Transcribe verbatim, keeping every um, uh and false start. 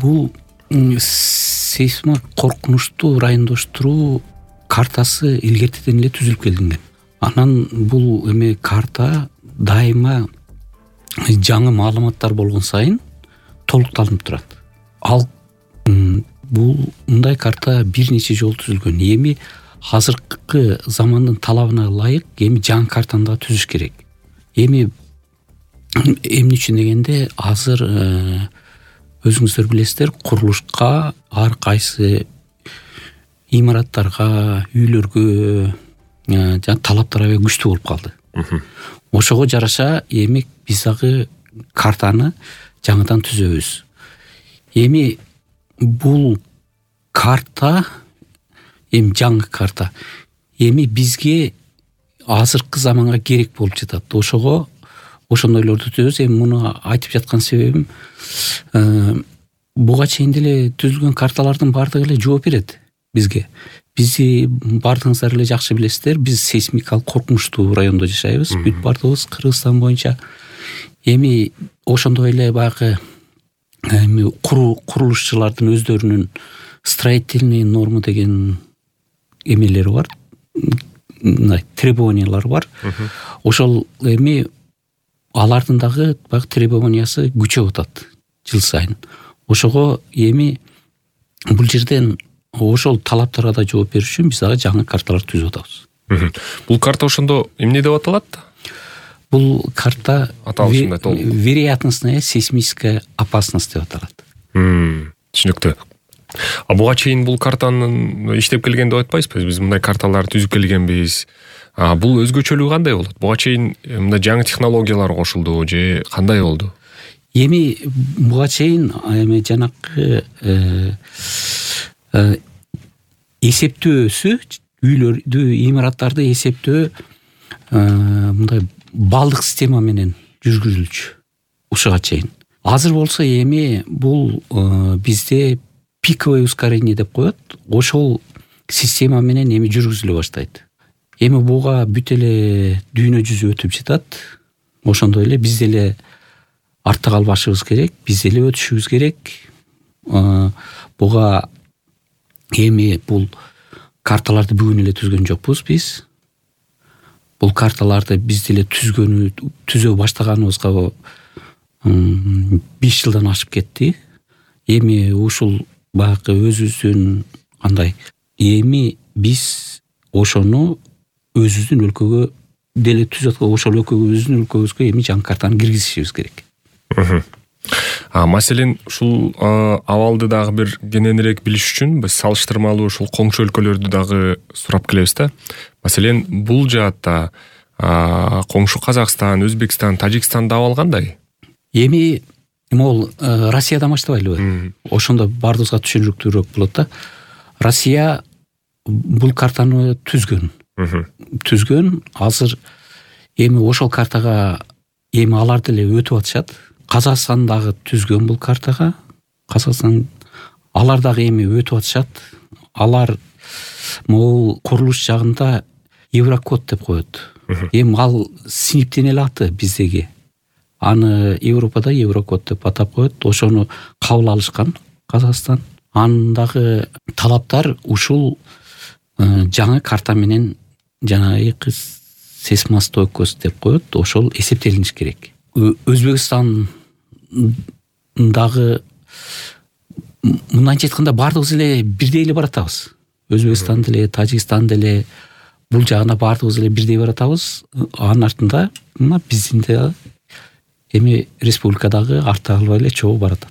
бул сейсмик коркунучтуу райондоштуруу картасы илгертеден эле түзүлүп келинген. Анан бул эме карта дайыма жаңы маалыматтар болгон сайын толукталып турат. Ал бул мындай карта бир нече жолу түзүлгөн. Эми азыркы замандын талабына ылайык эми жаңы картаны да түзүш керек. Эми эмне үчүн дегенде азыр өзүңүздөр билесиздер, курулушка ар кайсы имараттарга, үйлөргө жана талаптар аябай күчтүү болуп калды. Ошого жараша эми биз дагы картаны жаңыдан түзөбүз. Эми бул карта эми жаңы карта эми бизге азыркы заманга керек болуп жатат. Ошого ошондойлорду түзөбүз. Эми муну айтып жаткан себебим буга чейин деле түзүлгөн карталардын баардыгы эле жооп берет бизге. Бизди баардыгыңыздар эле жакшы билесиздер, биз сейсмикалык коркунучтуу райондо жашайбыз. Бүт баардыгыбыз Кыргызстан боюнча. Эми ошондой эле баягы эми курулушчулардын өздөрүнүн строительный норма деген эмелери бар, требованиялары бар. Ошол эми алардын дагы баягы требованиясы күчөп атат жыл сайын. Ошого эми бул жерден ошол талаптарга да жооп бериш үчүн биз дагы жаңы карталар түзүп атабыз. Бул карта ошондо эмне деп аталат? Бул карта аталышында толук вероятностная сейсмическая опасность деп аталат. Түшүнүктүү. А буга чейин бул картанын иштеп келген деп айтпайсызбы? Биз мындай карталар түзүп келгенбиз. А бул өзгөчөлүгү кандай болот? Буга чейин мындай жаңы технологиялар кошулду же кандай болду? Эми буга чейин эми жанакы эсептөөсү, үйлөрдү, имараттарды эсептөө мындай балдык система менен жүргүзүлчү ушуга чейин. Азыр болсо эми бул бизде пиковое ускорение деп коет. Ошол система менен эми жүргүзүлө баштайт. Эми буга бүт эле дүйнө жүзү өтүп жатат. Ошондой эле биз деле артта калбашыбыз керек, биз деле өтүшүбүз керек. Буга эми бул карталарды бүгүн эле түзгөн жокпуз биз. Бул карталарды биз деле түзгөнү, түзө баштаганыбызга беш жылдан ашып кетти. Эми ушул баягы өзүбүздүн кандай эми биз ошону өзүбүздүн өлкөгө деле түзөт, ошол өлкөгөбүздүн өлкөбүзгө эми жаңы картаны киргизишибиз керек. А маселен ушул абалды дагы бир кененирээк билиш үчүн биз салыштырмалуу ушул коңшу өлкөлөрдү дагы сурап келебиз да. Маселен, бул жаатта коңшу Казакстан, Өзбекстан, Тажикстанда абал кандай? Эми могул Россиядан баштабайлыбы? Ошондо баардыгыбызга түшүнүктүүрөөк болот да. Россия бул картаны түзгөн. Түзгөн, азыр эми ошол картага эми алар деле өтүп атышат. Казакстан дагы түзгөн бул картага. Казакстан алар дагы эми өтүп атышат. Алар могул курулуш жагында Еврокод деп коет. Эми ал синиптен эле аты биздеги. Аны Европада Еврокод деп атап коет. Ошону кабыл алышкан Казакстан. Андагы талаптар ушул жаңы карта менен жанагы сейсмостойкость деп коет. Ошол эсептелиниш керек. Өзбекстан дагы мындайча айтканда баардыгыбыз эле бирдей эле баратабыз. Өзбекстан деле, Тажикстан деле бул жагына баардыгыбыз эле бирдей баратабыз. Анын артында мына биздин да эми республикадагы арта калбай эле чогуу баратат.